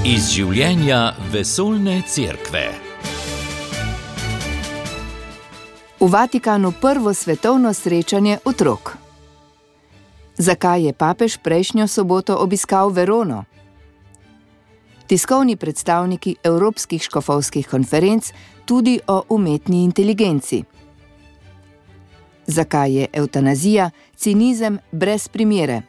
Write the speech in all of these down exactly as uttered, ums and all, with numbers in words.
Iz življenja vesoljne cerkve. V Vatikanu prvo svetovno srečanje otrok. Zakaj je papež prejšnjo soboto obiskal Verono? Tiskovni predstavniki evropskih škofovskih konferenc tudi o umetni inteligenci. Zakaj je evtanazija cinizem brez primere?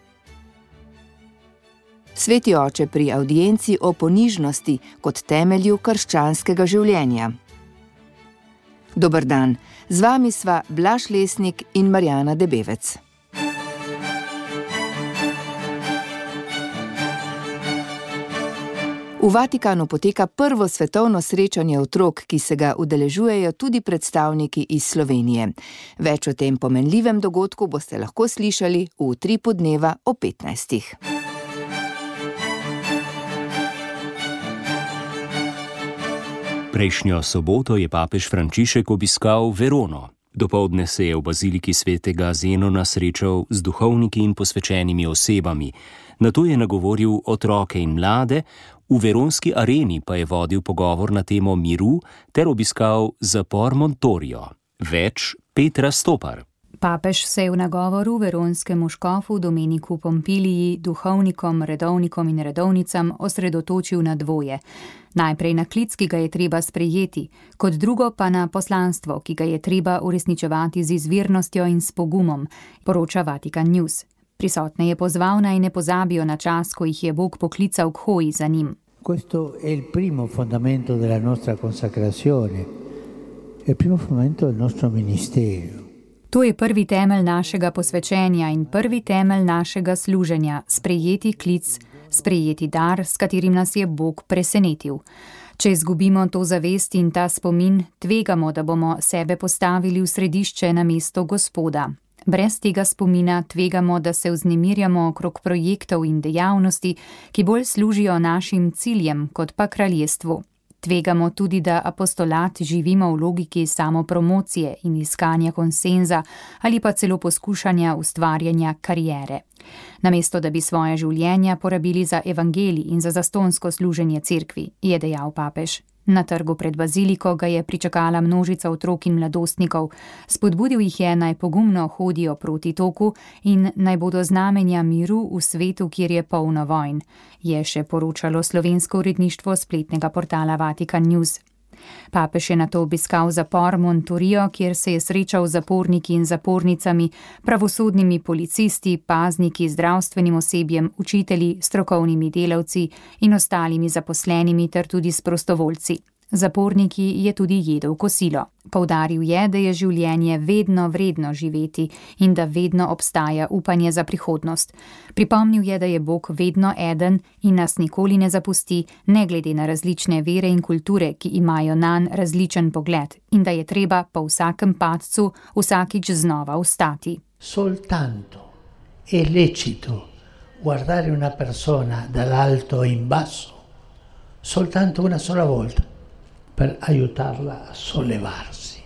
Sveti oče pri avdienci o ponižnosti kot temelju krščanskega življenja. Dober dan, z vami sva Blaž Lesnik in Marjana Debevec. V Vatikanu poteka prvo svetovno srečanje otrok, ki se ga udeležujejo tudi predstavniki iz Slovenije. Več o tem pomenljivem dogodku boste lahko slišali v utripu dneva o petnajstih. Prejšnjo soboto je papež Frančišek obiskal Verono. Dopoldne se je v baziliki svetega Zenona srečal z duhovniki in posvečenimi osebami. Nato je nagovoril otroke in mlade, v veronski areni pa je vodil pogovor na temo miru ter obiskal zapor Montorio. Več Petra Stopar. Papež se je v nagovoru veronskemu škofu Domeniku Pompiliji, duhovnikom, redovnikom in redovnicam osredotočil na dvoje. Najprej na klic, ki ga je treba sprejeti, kot drugo pa na poslanstvo, ki ga je treba uresničevati z izvirnostjo in s pogumom, poroča Vatikan News. Prisotne je pozval, naj ne pozabijo na čas, ko jih je Bog poklical k hoji za njim. Questo è il primo fondamento della nostra consacrazione, è il primo fondamento del nostro ministero. To je prvi temelj našega posvečenja in prvi temelj našega služenja, sprejeti klic, sprejeti dar, s katerim nas je Bog presenetil. Če izgubimo to zavest in ta spomin, tvegamo, da bomo sebe postavili v središče na mesto Gospoda. Brez tega spomina tvegamo, da se vznemirjamo okrog projektov in dejavnosti, ki bolj služijo našim ciljem kot pa kraljestvu. Tvegamo tudi, da apostolat živimo v logiki samopromocije in iskanja konsenza ali pa celo poskušanja ustvarjanja kariere. Namesto, da bi svoje življenja porabili za evangelij in za zastonsko služenje cerkvi, je dejal papež. Na trgu pred baziliko ga je pričakala množica otrok in mladostnikov. Spodbudil jih je, naj pogumno hodijo proti toku in naj bodo znamenja miru v svetu, kjer je polno vojn, je še poročalo slovensko uredništvo spletnega portala Vatikan News. Papež je nato obiskal zapor Montorio, kjer se je srečal z zaporniki in zapornicami, pravosodnimi policisti, pazniki, zdravstvenim osebjem, učitelji, strokovnimi delavci in ostalimi zaposlenimi ter tudi s prostovoljci. Zaporniki je tudi jedel kosilo. Poudaril je, da je življenje vedno vredno živeti in da vedno obstaja upanje za prihodnost. Pripomnil je, da je Bog vedno eden in nas nikoli ne zapusti, ne glede na različne vere in kulture, ki imajo nanj različen pogled, in da je treba po vsakem padcu vsakič znova vstati. Soltanto è lecito guardare una persona dall'alto in basso, soltanto una sola volta, per aiutarla a sollevarsi.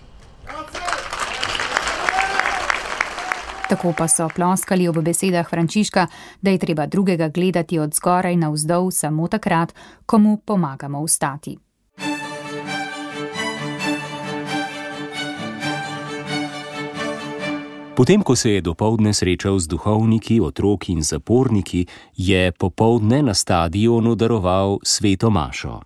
Tako pa so ploskali ob besedah Frančiška, da je treba drugega gledati od zgoraj navzdol samo takrat, ko mu pomagamo vstati. Potem, ko se je dopoldne srečal z duhovniki, otroki in zaporniki, je popoldne na stadionu daroval sveto mašo.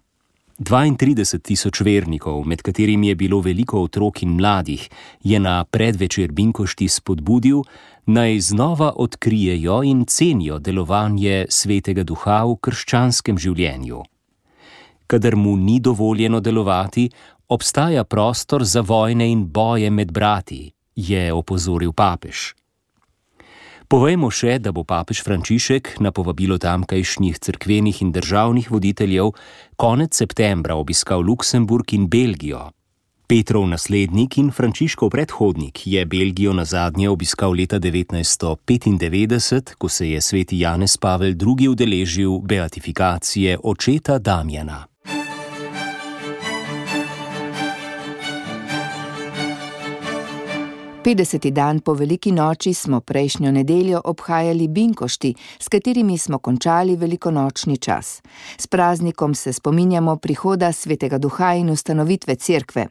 dvaintrideset tisoč vernikov, med katerimi je bilo veliko otrok in mladih, je na predvečer binkošti spodbudil, naj znova odkrijejo in cenijo delovanje svetega duha v krščanskem življenju. Kadar mu ni dovoljeno delovati, obstaja prostor za vojne in boje med brati, je opozoril papež. Povejmo še, da bo papež Frančišek na povabilo tamkajšnjih cerkvenih in državnih voditeljev konec septembra obiskal Luksemburg in Belgijo. Petrov naslednik in Frančiškov predhodnik je Belgijo nazadnje obiskal leta devetnajststo petindevetdeset, ko se je sveti Janez Pavel drugi udeležil beatifikacije očeta Damjana. petdeseti dan po veliki noči smo prejšnjo nedeljo obhajali binkošti, s katerimi smo končali velikonočni čas. S praznikom se spominjamo prihoda Svetega Duha in ustanovitve cerkve.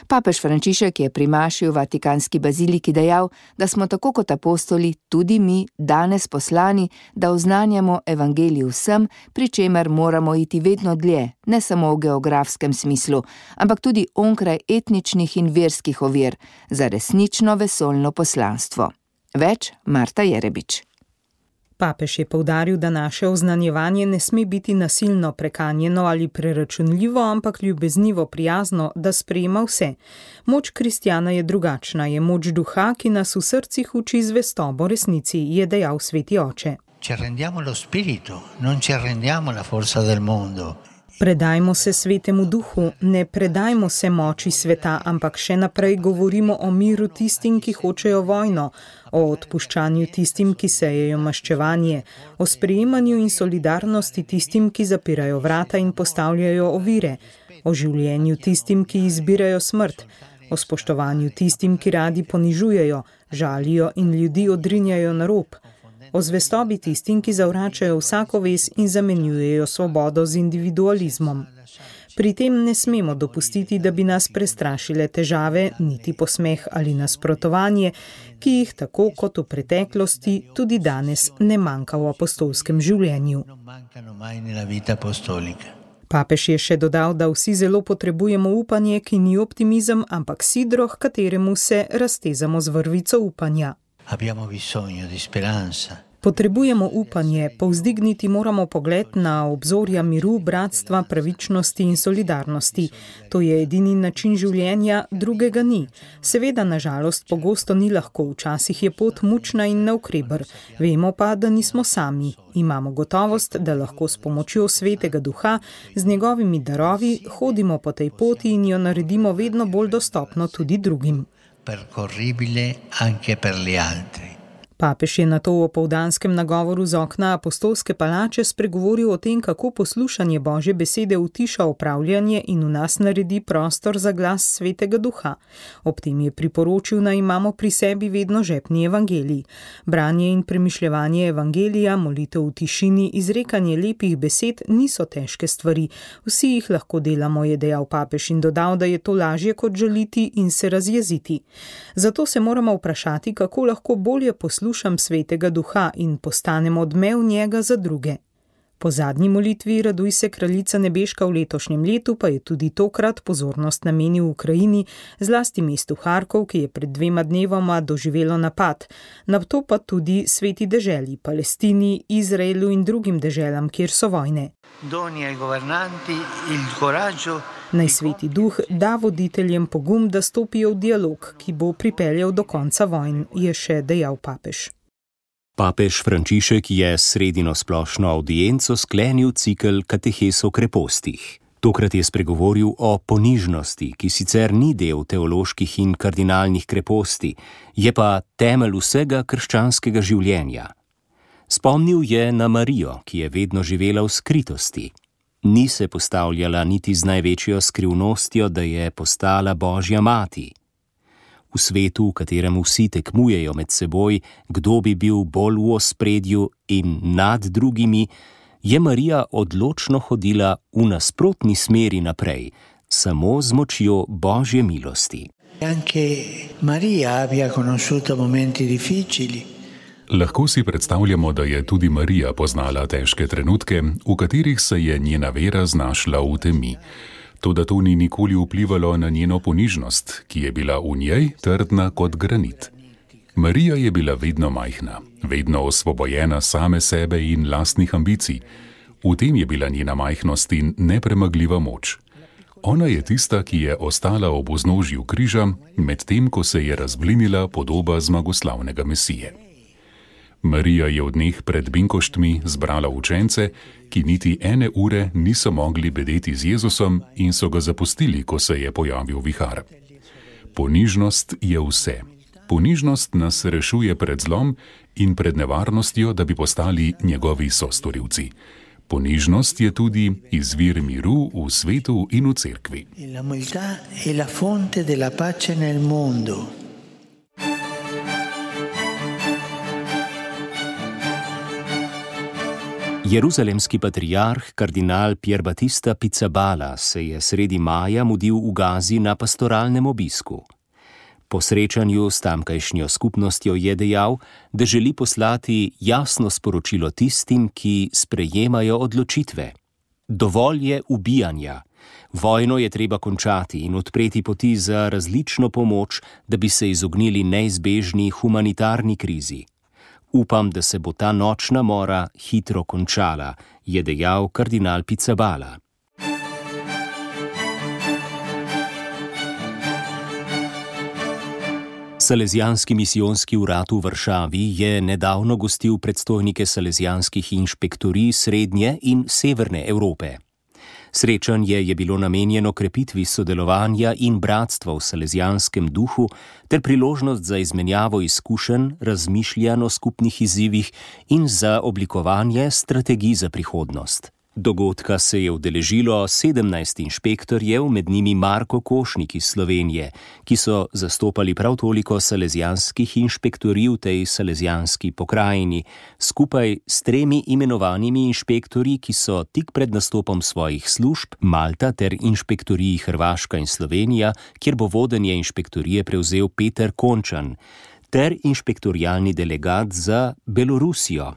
Papež Frančišek je pri maši v Vatikanski baziliki dejal, da smo tako kot apostoli tudi mi danes poslani, da oznanjamo evangelij vsem, pri čemer moramo iti vedno dlje, ne samo v geografskem smislu, ampak tudi onkraj etničnih in verskih ovir, za resnično vesoljno poslanstvo. Več Marta Jerebič. Papež je poudaril, da naše oznanjevanje ne sme biti nasilno, prekanjeno ali preračunljivo, ampak ljubeznivo, prijazno, da sprejema vse. Moč kristjana je drugačna, je moč duha, ki nas v srcih uči zvestobo resnici, je dejal sveti oče. Ci arrendiamo allo spirito, non ci arrendiamo alla forza del mondo. Predajmo se svetemu duhu, ne predajmo se moči sveta, ampak še naprej govorimo o miru tistim, ki hočejo vojno, o odpuščanju tistim, ki sejejo maščevanje, o sprejemanju in solidarnosti tistim, ki zapirajo vrata in postavljajo ovire, o življenju tistim, ki izbirajo smrt, o spoštovanju tistim, ki radi ponižujejo, žalijo in ljudi odrinjajo na rob, o zvestobi tistim, ki zavračajo vsako vez in zamenjujejo svobodo z individualizmom. Pri tem ne smemo dopustiti, da bi nas prestrašile težave, niti posmeh ali nasprotovanje, ki jih tako kot v preteklosti tudi danes ne manjka v apostolskem življenju. Papež je še dodal, da vsi zelo potrebujemo upanje, ki ni optimizem, ampak sidro, h kateremu se raztezamo z vrvico upanja. Abbiamo bisogno di speranza. Potrebujemo upanje, povzdigniti moramo pogled na obzorja miru, bratstva, pravičnosti in solidarnosti. To je edini način življenja, drugega ni. Seveda, na žalost, pogosto ni lahko, včasih je pot mučna in navkreber. Vemo pa, da nismo sami. Imamo gotovost, da lahko s pomočjo Svetega Duha, z njegovimi darovi, hodimo po tej poti in jo naredimo vedno bolj dostopno tudi drugim. Percorribile anche per gli altri. Papež je nato v opoldanskem nagovoru z okna apostolske palače spregovoril o tem, kako poslušanje Božje besede utiša opravljanje in v nas naredi prostor za glas Svetega Duha. Ob tem je priporočil, naj imamo pri sebi vedno žepni evangelij. Branje in premišljevanje evangelija, molitev v tišini, izrekanje lepih besed niso težke stvari. Vsi jih lahko delamo, je dejal papež in dodal, da je to lažje kot žaliti in se razjeziti. Zato se moramo vprašati, kako lahko bolje poslušati Slušam Svetega Duha in postanem odmev njega za druge. Po zadnji molitvi Raduj se kraljica nebeška v letošnjem letu pa je tudi tokrat pozornost namenil Ukrajini, zlasti mestu Harkov, ki je pred dvema dnevoma doživelo napad, nato pa tudi sveti deželi, Palestini, Izraelu in drugim deželam, kjer so vojne. Naj Sveti Duh da voditeljem pogum, da stopijo v dialog, ki bo pripeljal do konca vojn, je še dejal papež. Papež Frančišek je sredino splošno avdienco sklenil cikel katehes o krepostih. Tokrat je spregovoril o ponižnosti, ki sicer ni del teoloških in kardinalnih kreposti, je pa temelj vsega krščanskega življenja. Spomnil je na Marijo, ki je vedno živela v skritosti. Ni se postavljala niti z največjo skrivnostjo, da je postala Božja mati. V svetu, v katerem vsi tekmujejo med seboj, kdo bi bil bolj v ospredju in nad drugimi, je Marija odločno hodila v nasprotni smeri naprej, samo z močjo Božje milosti. Anche Maria abbia conosciuto momenti difficili. Lahko si predstavljamo, da je tudi Marija poznala težke trenutke, v katerih se je njena vera znašla v temi. Toda to ni nikoli vplivalo na njeno ponižnost, ki je bila v njej trdna kot granit. Marija je bila vedno majhna, vedno osvobojena same sebe in lastnih ambicij. V tem je bila njena majhnost in nepremagljiva moč. Ona je tista, ki je ostala ob vznožju križa, medtem ko se je razblinila podoba zmagoslavnega Mesije. Marija je v dneh pred binkoštmi zbrala učence, ki niti ene ure niso mogli bedeti z Jezusom in so ga zapustili, ko se je pojavil vihar. Ponižnost je vse. Ponižnost nas rešuje pred zlom in pred nevarnostjo, da bi postali njegovi sostorilci. Ponižnost je tudi izvir miru v svetu in v cerkvi. La umiltà è la fonte della pace nel mondo. Jeruzalemski patriarh kardinal Pier Battista Pizzaballa se je sredi maja mudil v Gazi na pastoralnem obisku. Po srečanju s tamkajšnjo skupnostjo je dejal, da želi poslati jasno sporočilo tistim, ki sprejemajo odločitve. Dovolj je ubijanja. Vojno je treba končati in odpreti poti za različno pomoč, da bi se izognili neizbežni humanitarni krizi. Upam, da se bo ta nočna mora hitro končala, je dejal kardinal Pizzaballa. Salezijanski misijonski urad v Varšavi je nedavno gostil predstojnike salezijanskih inšpektorij Srednje in Severne Evrope. Srečanje je bilo namenjeno krepitvi sodelovanja in bratstva v salezijanskem duhu ter priložnost za izmenjavo izkušenj, razmišljanj o skupnih izzivih in za oblikovanje strategij za prihodnost. Dogodka se je udeležilo sedemnajst inšpektorjev, med njimi Marko Košnik iz Slovenije, ki so zastopali prav toliko salezijanskih inšpektorij v tej salezijanski pokrajini, skupaj s tremi imenovanimi inšpektorji, ki so tik pred nastopom svojih služb, Malta ter inšpektoriji Hrvaška in Slovenija, kjer bo vodenje inšpektorije prevzel Peter Končan, ter inšpektorialni delegat za Belorusijo.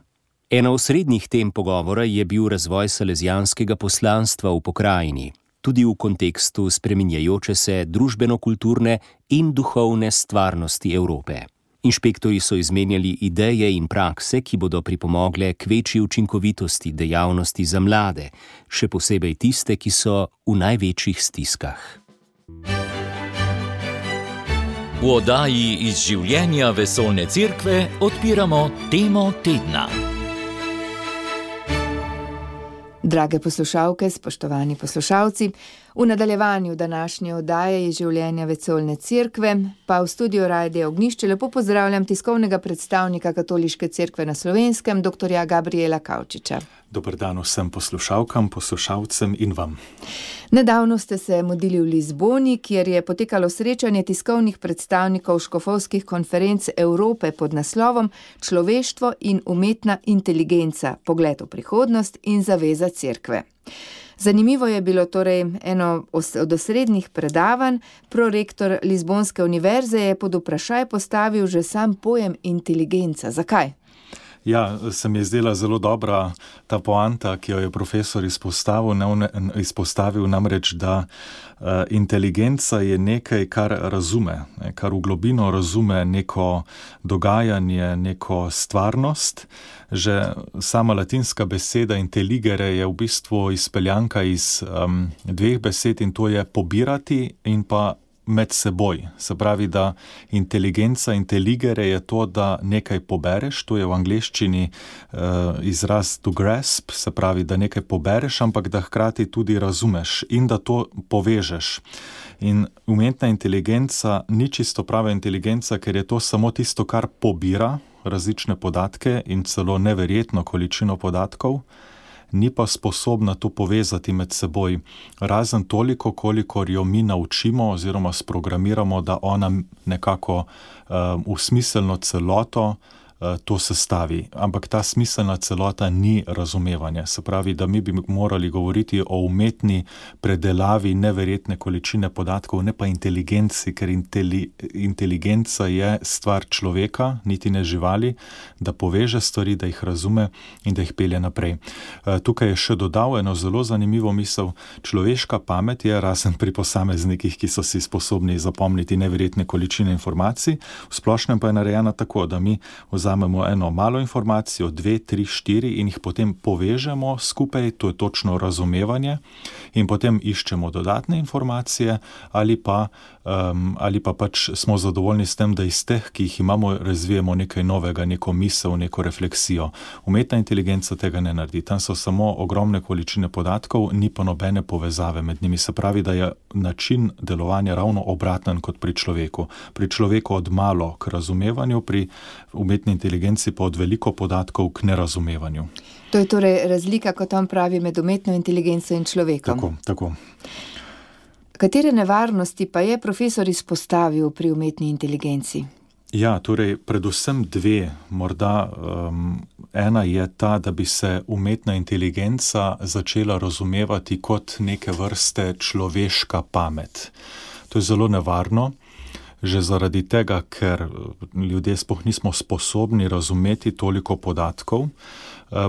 Ena osrednjih tem pogovora je bil razvoj salezijanskega poslanstva v pokrajini, tudi v kontekstu spreminjajoče se družbeno-kulturne in duhovne stvarnosti Evrope. Inšpektorji so izmenjali ideje in prakse, ki bodo pripomogle k večji učinkovitosti dejavnosti za mlade, še posebej tiste, ki so v največjih stiskah. V oddaji iz življenja vesoljne cerkve odpiramo temo tedna. Drage poslušalke, spoštovani poslušalci, v nadaljevanju današnje oddaje iz življenja vesoljne cerkve pa v studiu Radia Ognjišče lepo pozdravljam tiskovnega predstavnika Katoliške cerkve na Slovenskem, doktorja Gabriela Kavčiča. Dober dan vsem poslušalkam, poslušalcem in vam. Nedavno ste se mudili v Lizboni, kjer je potekalo srečanje tiskovnih predstavnikov škofovskih konferenc Evrope pod naslovom Človeštvo in umetna inteligenca, pogled v prihodnost in zaveza cerkve. Zanimivo je bilo torej eno od osrednjih predavanj. Prorektor Lizbonske univerze je pod vprašaj postavil že sam pojem inteligenca. Zakaj? Ja, se mi je zdela zelo dobra ta poanta, ki jo je profesor izpostavil, ne, izpostavil namreč, da uh, inteligenca je nekaj, kar razume, ne, kar v globino razume neko dogajanje, neko stvarnost. Že sama latinska beseda intelligere je v bistvu izpeljanka iz um, dveh besed in to je pobirati in pa med seboj. Se pravi, da inteligenca, intelligere je to, da nekaj pobereš, to je v angleščini uh, izraz to grasp, se pravi, da nekaj pobereš, ampak da hkrati tudi razumeš in da to povežeš. In umetna inteligenca ni čisto prava inteligenca, ker je to samo tisto, kar pobira različne podatke in celo neverjetno količino podatkov, ni pa sposobna to povezati med seboj, razen toliko, kolikor jo mi naučimo oziroma sprogramiramo, da ona nekako uh, v smiselno celoto uh, to sestavi. Ampak ta smiselna celota ni razumevanje. Se pravi, da mi bi morali govoriti o umetni predelavi neverjetne količine podatkov, ne pa inteligenci, ker inteli, inteligenca je stvar človeka, niti ne živali, da poveže stvari, da jih razume in da jih pelje naprej. Tukaj je še dodal eno zelo zanimivo misel. Človeška pamet je, razen pri posameznikih, ki so si sposobni zapomniti neverjetne količine informacij, v splošnem pa je narejena tako, da mi vzamemo eno malo informacijo, dve, tri, štiri in jih potem povežemo skupaj, to je točno razumevanje, in potem iščemo dodatne informacije ali pa, um, ali pa pač smo zadovoljni s tem, da iz teh, ki jih imamo, razvijemo nekaj novega, neko misel, neko refleksijo. Umetna inteligenca tega ne naredi. Tam so samo ogromne količine podatkov, ni pa nobene povezave med njimi. Se pravi, da je način delovanja ravno obraten kot pri človeku. Pri človeku od malo k razumevanju, pri umetni inteligenci pa od veliko podatkov k nerazumevanju. To je torej razlika, kot on pravi, med umetno inteligenco in človekom. Tako, tako. Katere nevarnosti pa je profesor izpostavil pri umetni inteligenci? Ja, torej predvsem dve. Morda um, ena je ta, da bi se umetna inteligenca začela razumevati kot neke vrste človeška pamet. To je zelo nevarno, že zaradi tega, ker ljudje sploh nismo sposobni razumeti toliko podatkov.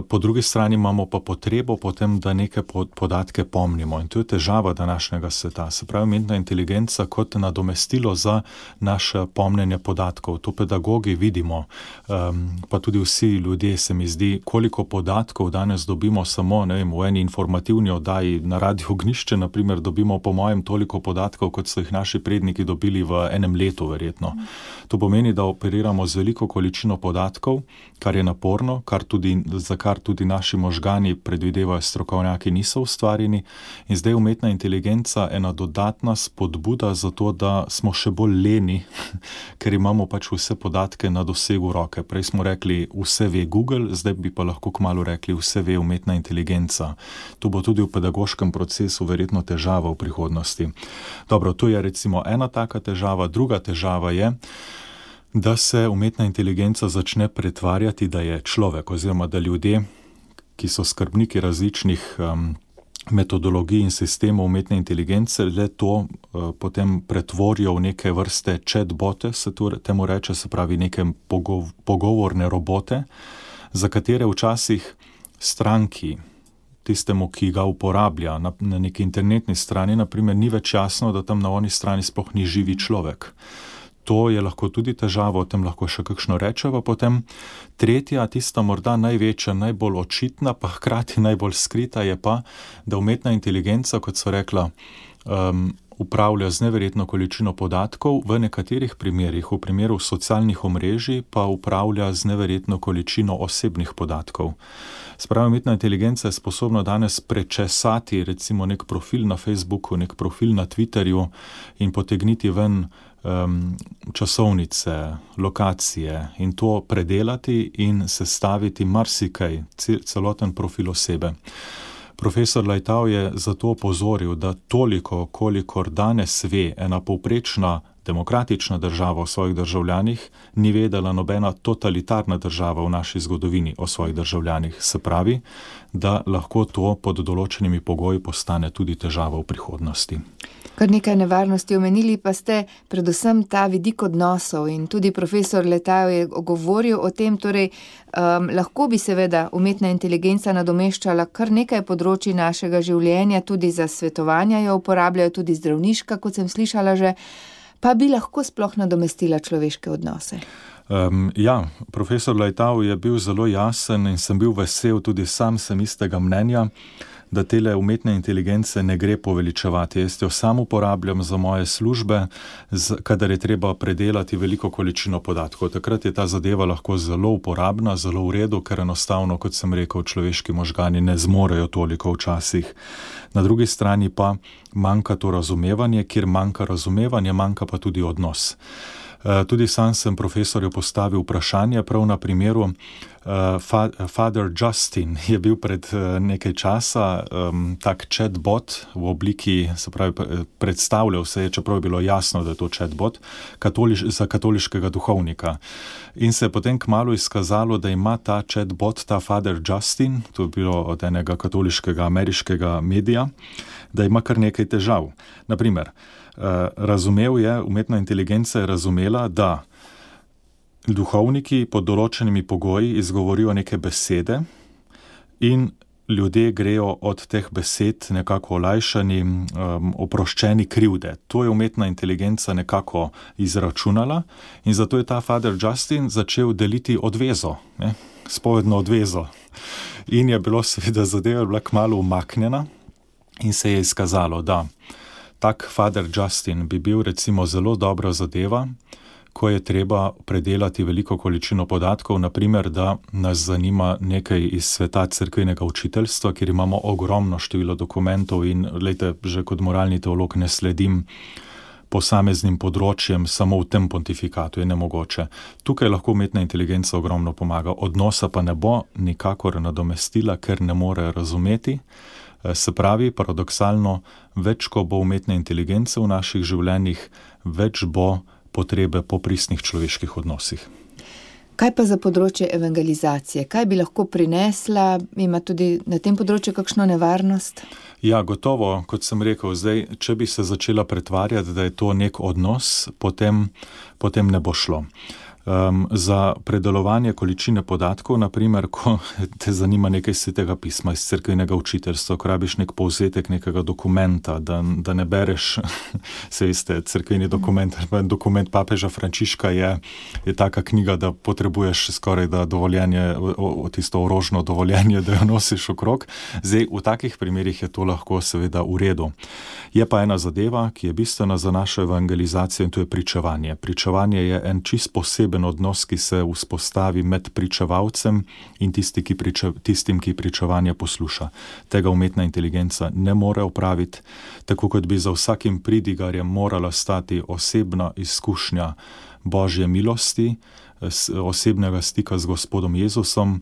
Po drugi strani imamo pa potrebo potem, da neke podatke pomnimo. In to je težava današnjega sveta. Se pravi, umetna inteligenca kot nadomestilo za naše pomnjenje podatkov. To pedagogi vidimo, pa tudi vsi ljudje, se mi zdi, koliko podatkov danes dobimo samo, ne vem, v eni informativni oddaji na Radiu Ognjišče, na primer, dobimo po mojem toliko podatkov, kot so jih naši predniki dobili v enem letu, verjetno. To pomeni, da operiramo z veliko količino podatkov, kar je naporno, kar tudi za kar tudi naši možgani, predvidevajo strokovnjaki, niso ustvarjeni. In zdaj umetna inteligenca ena dodatna spodbuda za to, da smo še bolj leni, ker imamo pač vse podatke na dosegu roke. Prej smo rekli, vse ve Google, zdaj bi pa lahko kmalu rekli, vse ve umetna inteligenca. To bo tudi v pedagoškem procesu verjetno težava v prihodnosti. Dobro, to je recimo ena taka težava. Druga težava je, da se umetna inteligenca začne pretvarjati, da je človek, oziroma da ljudje, ki so skrbniki različnih um, metodologij in sistemov umetne inteligence, le to uh, potem pretvorijo v neke vrste chatbote, se temu reče, se pravi neke pogov pogovorne robote, za katere včasih stranki, tistemu, ki ga uporablja na, na neki internetni strani, naprimer, ni več jasno, da tam na oni strani sploh ni živi človek. To je lahko tudi težava, o tem lahko še kakšno rečeva potem. Tretja, tista morda največja, najbolj očitna, pa hkrati najbolj skrita je pa, da umetna inteligenca, kot so rekla, um, upravlja z neverjetno količino podatkov, v nekaterih primerih, v primeru socialnih omrežij, pa upravlja z neverjetno količino osebnih podatkov. Spravi, umetna inteligenca je sposobna danes prečesati recimo nek profil na Facebooku, nek profil na Twitterju in potegniti ven um, časovnice, lokacije in to predelati in sestaviti marsikaj, celoten profil osebe. Profesor Leitao je zato opozoril, da toliko, kolikor danes ve ena povprečna demokratična država o svojih državljanih, ni vedela nobena totalitarna država v naši zgodovini o svojih državljanih. Se pravi, da lahko to pod določenimi pogoji postane tudi težava v prihodnosti. Kar nekaj nevarnosti omenili pa ste predvsem ta vidik odnosov in tudi profesor Leitao je govoril o tem, torej um, lahko bi seveda umetna inteligenca nadomeščala kar nekaj področji našega življenja, tudi za svetovanja jo uporabljajo, tudi zdravniška, kot sem slišala že, pa bi lahko sploh nadomestila človeške odnose. Um, ja, profesor Leitao je bil zelo jasen in sem bil vesel, tudi sam sem istega mnenja, da tele umetne inteligence ne gre poveličevati. Jaz jo sam uporabljam za moje službe, kadar je treba predelati veliko količino podatkov. Takrat je ta zadeva lahko zelo uporabna, zelo v redu, ker enostavno, kot sem rekel, človeški možgani ne zmorejo toliko včasih. Na drugi strani pa manjka to razumevanje, kjer manjka razumevanje, manjka pa tudi odnos. Tudi sam sem profesorju postavil vprašanje, prav na primeru Father Justin je bil pred nekaj časa um, tak chatbot v obliki, se pravi, predstavljal se je, čeprav je bilo jasno, da je to chatbot, katoliš, za katoliškega duhovnika. In se je potem kmalu izkazalo, da ima ta chatbot, ta Father Justin, to je bilo od enega katoliškega ameriškega medija, da ima kar nekaj težav. Naprimer, razumel je, umetna inteligenca je razumela, da duhovniki pod določenimi pogoji izgovorijo neke besede in ljudje grejo od teh besed nekako olajšani, um, oproščeni krivde. To je umetna inteligenca nekako izračunala in zato je ta Father Justin začel deliti odvezo, ne, spovedno odvezo. In je bilo seveda zadeva bila kmalu umaknjena in se je izkazalo, da tak Father Justin bi bil recimo zelo dobra zadeva, ko je treba predelati veliko količino podatkov, naprimer, da nas zanima nekaj iz sveta cerkvenega učiteljstva, kjer imamo ogromno število dokumentov in, glejte, že kot moralni teolog ne sledim posameznim področjem samo v tem pontifikatu, je nemogoče. Tukaj lahko umetna inteligenca ogromno pomaga, odnosa pa ne bo nikakor nadomestila, ker ne more razumeti. Se pravi, paradoksalno, več ko bo umetne inteligence v naših življenjih, več bo potrebe po pristnih človeških odnosih. Kaj pa za področje evangelizacije? Kaj bi lahko prinesla? Ima tudi na tem področju kakšno nevarnost? Ja, gotovo, kot sem rekel, zdaj, če bi se začela pretvarjati, da je to nek odnos, potem, potem ne bo šlo. Um, za predelovanje količine podatkov, naprimer, ko te zanima nekaj svetega pisma iz cerkvenega učiteljstva, ko rabiš nek povzetek nekega dokumenta, da, da ne bereš, se veste, cerkveni dokument, dokument papeža Frančiška je, je taka knjiga, da potrebuješ skoraj da dovoljenje, o, o tisto orožno dovoljenje, da jo nosiš okrog. Zdaj, v takih primerih je to lahko seveda v redu. Je pa ena zadeva, ki je bistvena za našo evangelizacijo, in to je pričevanje. Pričevanje je en čist poseben odnos, ki se vzpostavi med pričevalcem in tisti, ki priča, tistim, ki pričevanje posluša. Tega umetna inteligenca ne more opraviti, tako kot bi za vsakim pridigarjem morala stati osebna izkušnja Božje milosti, osebnega stika z Gospodom Jezusom,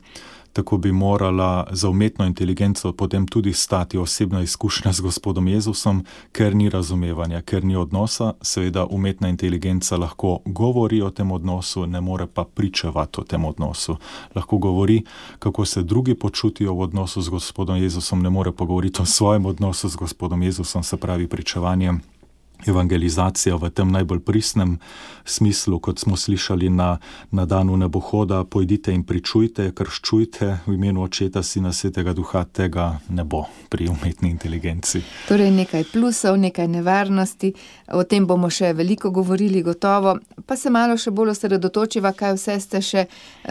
tako bi morala za umetno inteligenco potem tudi stati osebna izkušnja z Gospodom Jezusom, ker ni razumevanja, ker ni odnosa. Seveda umetna inteligenca lahko govori o tem odnosu, ne more pa pričevati o tem odnosu. Lahko govori, kako se drugi počutijo v odnosu z Gospodom Jezusom, ne more pa govoriti o svojem odnosu z Gospodom Jezusom, se pravi pričevanje. Evangelizacija v tem najbolj pristnem smislu, kot smo slišali na, na danu nebohoda, pojdite in pričujte, krščujte v imenu Očeta, Sina, Svetega Duha, tega ne bo pri umetni inteligenci. Torej nekaj plusov, nekaj nevarnosti, o tem bomo še veliko govorili gotovo, pa se malo še bolj osredotočiva, kaj vse ste še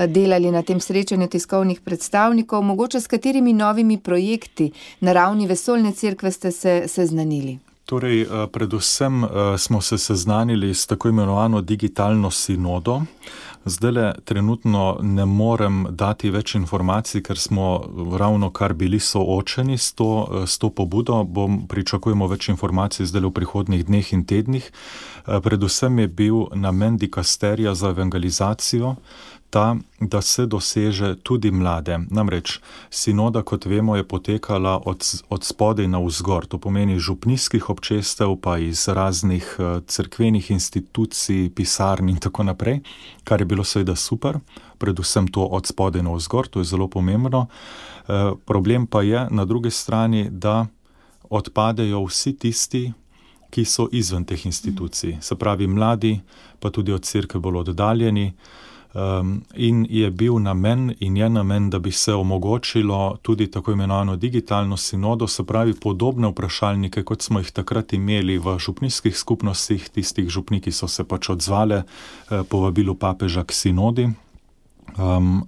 delali na tem srečanju tiskovnih predstavnikov, mogoče s katerimi novimi projekti na ravni vesoljne cerkve ste se seznanili. Torej, predvsem smo se seznanili s tako imenovano digitalno sinodo. Zdajle trenutno ne morem dati več informacij, ker smo ravno kar bili soočeni s to, s to pobudo. Bom, pričakujemo več informacij zdajle v prihodnjih dneh in tednih. Predvsem je bil namen dikasterija za evangelizacijo ta, da se doseže tudi mlade. Namreč sinoda, kot vemo, je potekala od, od spodaj na vzgor. To pomeni župnijskih občestev, pa iz raznih cerkvenih institucij, pisarn in tako naprej, kar je bilo seveda super, predvsem to od spodaj na vzgor, to je zelo pomembno. E, problem pa je na drugi strani, da odpadejo vsi tisti, ki so izven teh institucij. Se pravi mladi, pa tudi od cerkve bolj oddaljeni. Um, in je bil namen in je namen, da bi se omogočilo tudi tako imenovano digitalno sinodo, se pravi podobne vprašalnike, kot smo jih takrat imeli v župnijskih skupnostih, tistih župniki so se pač odzvale eh, povabilu papeža k sinodi. Um,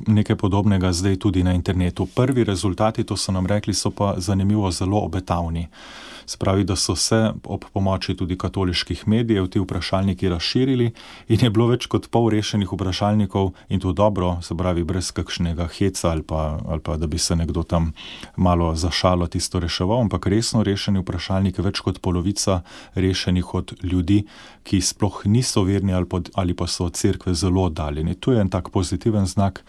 nekaj podobnega zdaj tudi na internetu. Prvi rezultati, to so nam rekli, so pa zanimivo zelo obetavni. Se pravi, da so se ob pomoči tudi katoliških medijev ti vprašalniki razširili in je bilo več kot pol rešenih vprašalnikov in to dobro, se pravi, brez kakšnega heca ali pa, ali pa da bi se nekdo tam malo zašalo tisto reševal, ampak resno rešeni vprašalniki, več kot polovica rešenih od ljudi, ki sploh niso verni ali, pod, ali pa so od cerkve zelo oddaljeni. To je en tak pozitiven znak,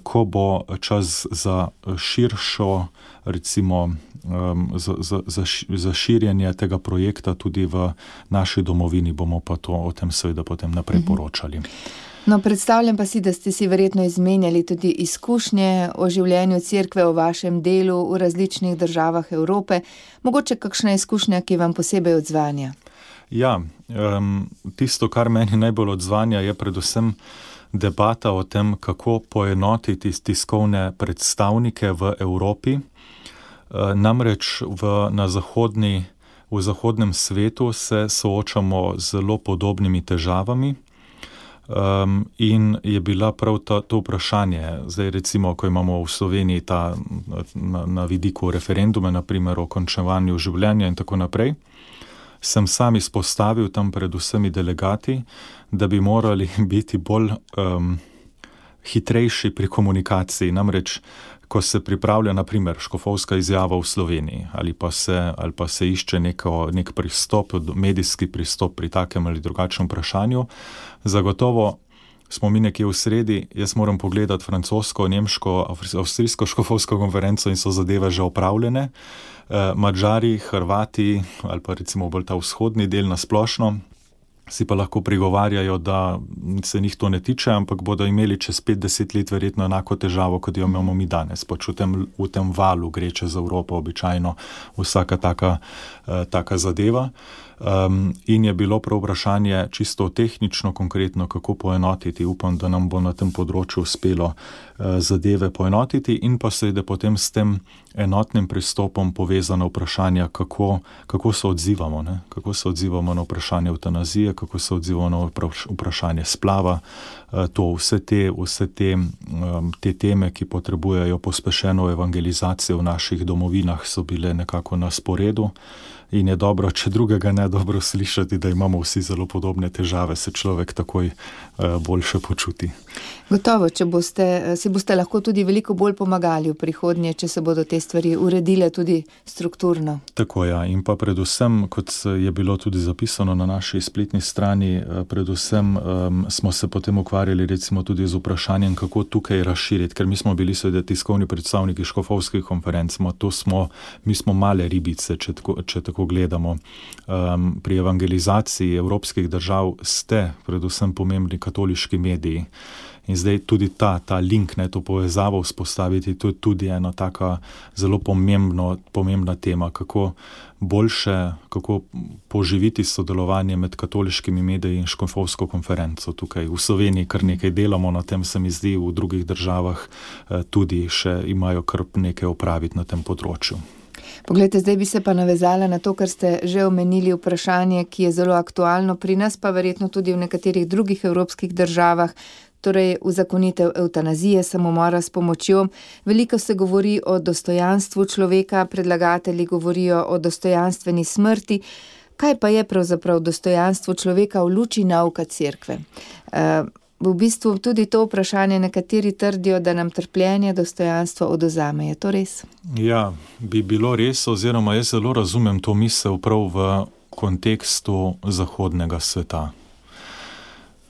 ko bo čas za širšo, recimo, za, za, za, za širjenje tega projekta tudi v naši domovini, bomo pa to o tem seveda potem naprej poročali. No, predstavljam pa si, da ste si verjetno izmenjali tudi izkušnje o življenju cerkve, o vašem delu v različnih državah Evrope. Mogoče kakšna izkušnja, ki vam posebej odzvanja? Ja, um, tisto, kar meni najbolj odzvanja, je predvsem debata o tem, kako poenotiti tiskovne predstavnike v Evropi. Namreč v, na zahodni, v zahodnem svetu se soočamo z zelo podobnimi težavami um, in je bila prav ta, to vprašanje, zdaj recimo, ko imamo v Sloveniji ta, na, na vidiku referendume, naprimer o končevanju življenja in tako naprej, sem sam izpostavil tam predvsem delegati, da bi morali biti bolj um, hitrejši pri komunikaciji. Namreč, ko se pripravlja naprimer škofovska izjava v Sloveniji ali pa se, ali pa se išče neko, nek pristop, medijski pristop pri takem ali drugačnem vprašanju, zagotovo smo mi nekje v sredi, jaz moram pogledati francosko, nemško, avstrijsko škofovsko konferenco in so zadeve že opravljene. Madžari, Hrvati ali pa recimo bolj ta vzhodni del na splošno si pa lahko prigovarjajo, da se njih to ne tiče, ampak bodo imeli čez pet deset let verjetno enako težavo, kot jo imamo mi danes. Pač v tem, v tem valu gre čez Evropo običajno vsaka taka, uh, taka zadeva. Um, in je bilo prav vprašanje čisto tehnično, konkretno, kako poenotiti. Upam, da nam bo na tem področju uspelo uh, zadeve poenotiti in pa seveda potem s tem enotnim pristopom povezano vprašanje, kako, kako se odzivamo, ne? Kako se odzivamo na vprašanje evtanazije, kako se odzivamo na vprašanje splava. Uh, to vse te, vse te, um, te teme, ki potrebujejo pospešeno evangelizacijo v naših domovinah, so bile nekako na sporedu. In je dobro, če drugega ne, dobro slišati, da imamo vsi zelo podobne težave, se človek takoj uh, boljše počuti. Gotovo, če boste, si boste lahko tudi veliko bolj pomagali v prihodnje, če se bodo te stvari uredile tudi strukturno. Tako ja, in pa predvsem, kot je bilo tudi zapisano na naši spletni strani, predvsem um, smo se potem ukvarjali recimo tudi z vprašanjem, kako tukaj razširiti, ker mi smo bili seveda tiskovni predstavniki škofovskih konferenc, to smo, mi smo male ribice, če tako, če tako gledamo. Um, pri evangelizaciji evropskih držav ste predvsem pomembni katoliški mediji. In zdaj tudi ta, ta link, ne, to povezavo vzpostaviti, to je tudi ena taka zelo pomembno, pomembna tema, kako boljše, kako poživiti sodelovanje med katoliškimi mediji in škofovsko konferenco. Tukaj v Sloveniji kar nekaj delamo na tem, se mi zdi, v drugih državah tudi še imajo kar nekaj opraviti na tem področju. Poglejte, zdaj bi se pa navezala na to, kar ste že omenili, vprašanje, ki je zelo aktualno pri nas, pa verjetno tudi v nekaterih drugih evropskih državah, torej uzakonitev evtanazije, samomora s pomočjo. Veliko se govori o dostojanstvu človeka, predlagatelji govorijo o dostojanstveni smrti. Kaj pa je pravzaprav dostojanstvo človeka v luči nauka cerkve? Uh, v bistvu tudi to vprašanje nekateri trdijo, da nam trpljenje dostojanstvo odvzame. Je to res? Ja, bi bilo res, oziroma jaz zelo razumem to misel prav v kontekstu zahodnega sveta.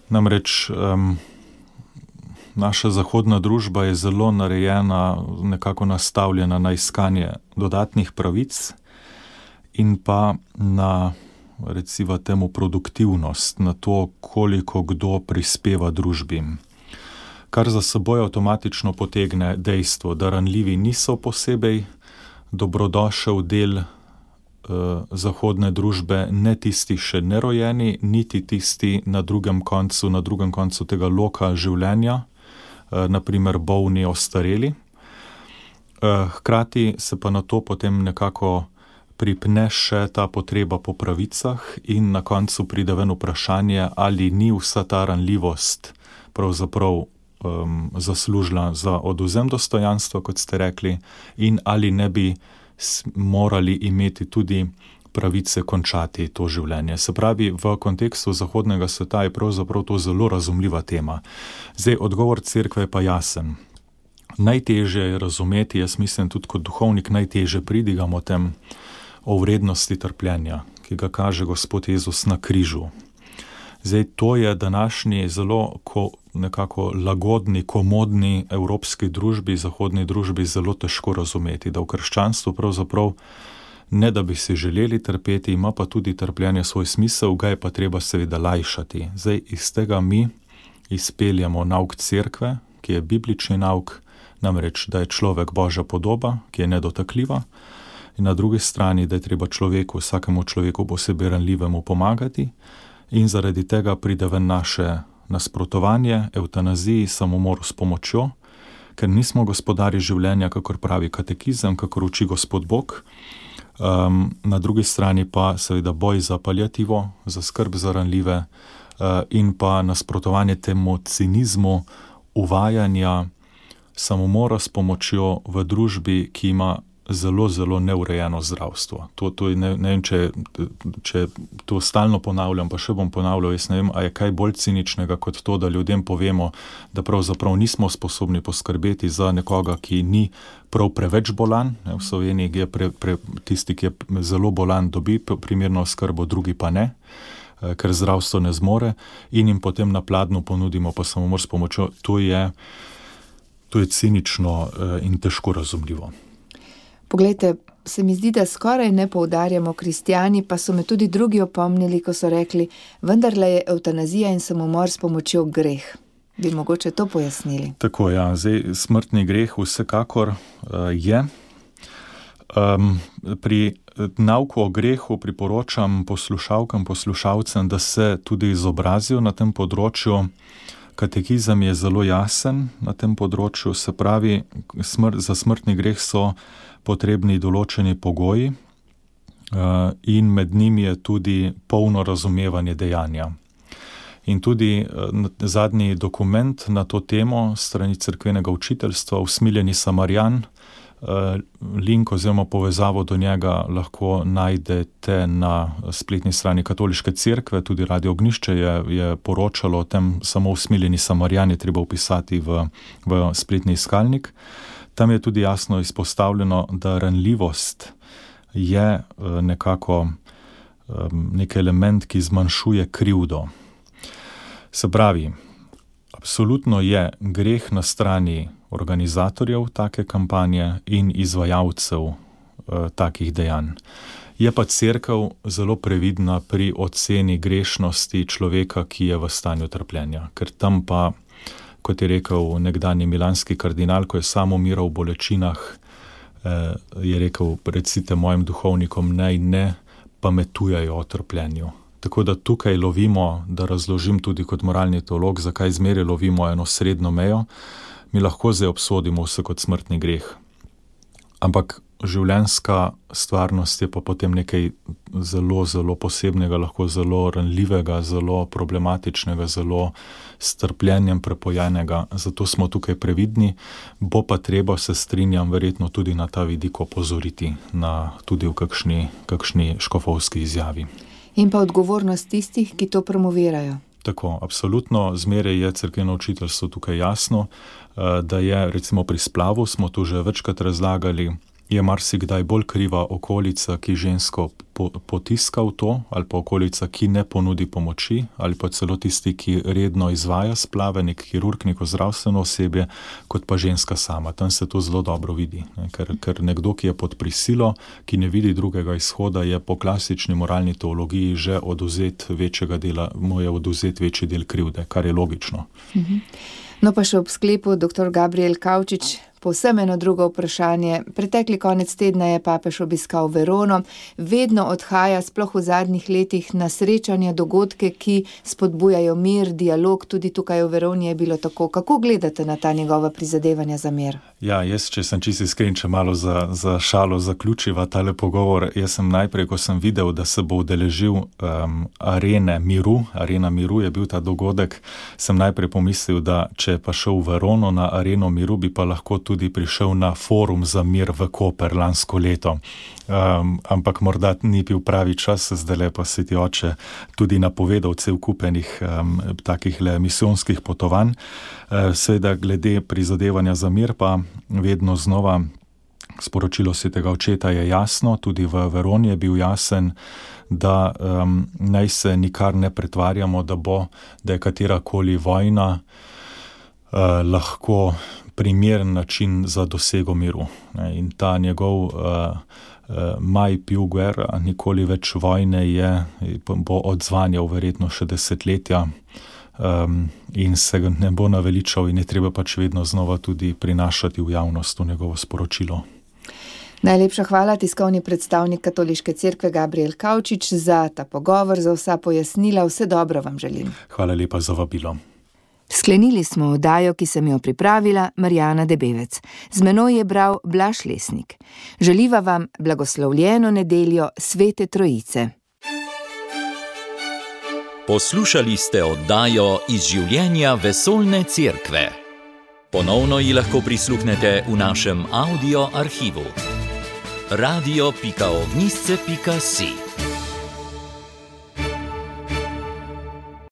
Namreč um, naša zahodna družba je zelo narejena, nekako nastavljena na iskanje dodatnih pravic in pa na, recimo temu, produktivnost, na to, koliko kdo prispeva družbi. Kar za seboj avtomatično potegne dejstvo, da ranljivi niso posebej dobrodošel del eh, zahodne družbe, ne tisti še nerojeni, niti tisti na drugem koncu, na drugem koncu tega loka življenja, naprimer bolni, ostareli. Hkrati se pa na to potem nekako pripne še ta potreba po pravicah in na koncu pride ven vprašanje, ali ni vsa ta ranljivost pravzaprav um, zaslužila za odvzem dostojanstva, kot ste rekli, in ali ne bi morali imeti tudi pravice končati to življenje. Se pravi, v kontekstu zahodnega sveta je pravzaprav to zelo razumljiva tema. Zdaj, odgovor cerkve je pa jasen. Najtežje je razumeti, jaz mislim tudi kot duhovnik, najtežje pridigamo tem o vrednosti trpljenja, ki ga kaže Gospod Jezus na križu. Zdaj, to je današnji zelo ko, nekako lagodni, komodni evropski družbi, zahodni družbi zelo težko razumeti, da v krščanstvu pravzaprav ne da bi si želeli trpeti, ima pa tudi trpljenje svoj smisel, ga je pa treba seveda lajšati. Zdaj, iz tega mi izpeljamo nauk cerkve, ki je biblični nauk, namreč, da je človek Božja podoba, ki je nedotakljiva, in na drugi strani, da je treba človeku, vsakemu človeku posebej ranljivemu pomagati, in zaradi tega pride ven naše nasprotovanje, evtanaziji, samomoru s pomočjo, ker nismo gospodarji življenja, kakor pravi katekizem, kakor uči Gospod Bog. Um, na drugi strani pa seveda boj za paliativo, za skrb za ranljive uh, in pa nasprotovanje temu cinizmu uvajanja samomora s pomočjo v družbi, ki ima zelo, zelo neurejeno zdravstvo. To, to je, ne, ne vem, če, če to stalno ponavljam, pa še bom ponavljal, jaz ne vem, a je kaj bolj ciničnega kot to, da ljudem povemo, da pravzaprav nismo sposobni poskrbeti za nekoga, ki ni prav preveč bolan. V Sloveniji je pre, pre, tisti, ki je zelo bolan, dobi primerno oskrbo, drugi pa ne, ker zdravstvo ne zmore, in jim potem na pladnju ponudimo pa samomor s pomočjo. To je, to je cinično in težko razumljivo. Poglejte, se mi zdi, da skoraj ne poudarjamo kristjani, pa so me tudi drugi opomnili, ko so rekli, vendarle je evtanazija in samomor s pomočjo greh. Bi mogoče to pojasnili? Tako, ja, zdaj smrtni greh vsekakor uh, je. Um, pri nauku o grehu priporočam poslušalkam, poslušalcem, da se tudi izobrazijo na tem področju. Katekizem je zelo jasen na tem področju, se pravi, smr- za smrtni greh so potrebni določeni pogoji uh, in med njimi je tudi polno razumevanje dejanja. In tudi uh, zadnji dokument na to temo strani cerkvenega učiteljstva, Usmiljeni Samarjan, uh, link oziroma povezavo do njega lahko najdete na spletni strani Katoliške cerkve, tudi Radio Ognjišče je, je poročalo o tem, samo Usmiljeni Samarjan je treba vpisati v, v spletni iskalnik. Tam je tudi jasno izpostavljeno, da ranljivost je nekako nek element, ki zmanjšuje krivdo. Se pravi, absolutno je greh na strani organizatorjev take kampanje in izvajalcev eh, takih dejanj. Je pa cerkev zelo previdna pri oceni grešnosti človeka, ki je v stanju trpljenja, ker tam pa, kot je rekel nekdanji milanski kardinal, ko je sam umiral v bolečinah, eh, je rekel, recite mojim duhovnikom, naj ne pametujajo o trpljenju. Tako da tukaj lovimo, da razložim tudi kot moralni teolog, zakaj zmeraj lovimo eno srednjo mejo. Mi lahko zdaj obsodimo vse kot smrtni greh. Ampak življenjska stvarnost je pa potem nekaj zelo, zelo posebnega, lahko zelo ranljivega, zelo problematičnega, zelo s trpljenjem prepojenega. Zato smo tukaj previdni, bo pa treba, se strinjam, verjetno tudi na ta vidik opozoriti, na, tudi v kakšni, kakšni škofovski izjavi. In pa odgovornost tistih, ki to promovirajo. Tako, absolutno, zmeraj je cerkveno učiteljstvo tukaj jasno, da je recimo pri splavu, smo tu že večkrat razlagali, je marsikdaj bolj kriva okolica, ki žensko potiska v to, ali pa okolica, ki ne ponudi pomoči, ali pa celo tisti, ki redno izvaja splave, nek kirurg, neko zdravstveno osebje, kot pa ženska sama. Tam se to zelo dobro vidi, ne? Ker, ker nekdo, ki je pod prisilo, ki ne vidi drugega izhoda, je po klasični moralni teologiji že oduzet večjega dela, mu je oduzet večji del krivde, kar je logično. Mhm. No pa še ob sklepu, doktor Gabriel Kavčič, povsem eno drugo vprašanje. Pretekli konec tedna je papež obiskal Verono, vedno odhaja, sploh v zadnjih letih, na srečanja, dogodke, ki spodbujajo mir, dialog, tudi tukaj v Veroni je bilo tako. Kako gledate na ta njegova prizadevanja za mir? Ja, jaz, če sem čisto iskren, če malo za, za šalo zaključiva tale pogovor, jaz sem najprej, ko sem videl, da se bo udeležil um, arene miru, arena miru je bil ta dogodek, sem najprej pomislil, da če pa šel v Verono na areno miru, bi pa lahko tudi prišel na forum za mir v Koper lansko leto. Um, ampak morda ni bil pravi čas, zdaj pa se ti oče tudi napovedal cel kupenih um, takih le misijonskih potovanj. Uh, seveda glede prizadevanja za mir pa vedno znova sporočilo svetega očeta je jasno, tudi v Veroni je bil jasen, da um, naj se nikar ne pretvarjamo, da bo, da je katerakoli vojna uh, lahko primeren način za dosego miru. In ta njegov uh, uh, Mai più guerra, nikoli več vojne je, bo odzvanjal verjetno še desetletja um, in se ne bo naveličal in je treba pač vedno znova tudi prinašati v javnost v njegovo sporočilo. Najlepša hvala, tiskovni predstavnik Katoliške cerkve Gabriel Kavčič, za ta pogovor, za vsa pojasnila. Vse dobro vam želim. Hvala lepa za vabilo. Sklenili smo oddajo, ki sem jo pripravila, Marjana Debevec. Z menoj je bral Blaž Lesnik. Želiva vam blagoslovljeno nedeljo Svete Trojice. Poslušali ste oddajo Iz življenja vesoljne cerkve. Ponovno ji lahko prisluhnete v našem audio arhivu. radio pika ognjišče pika si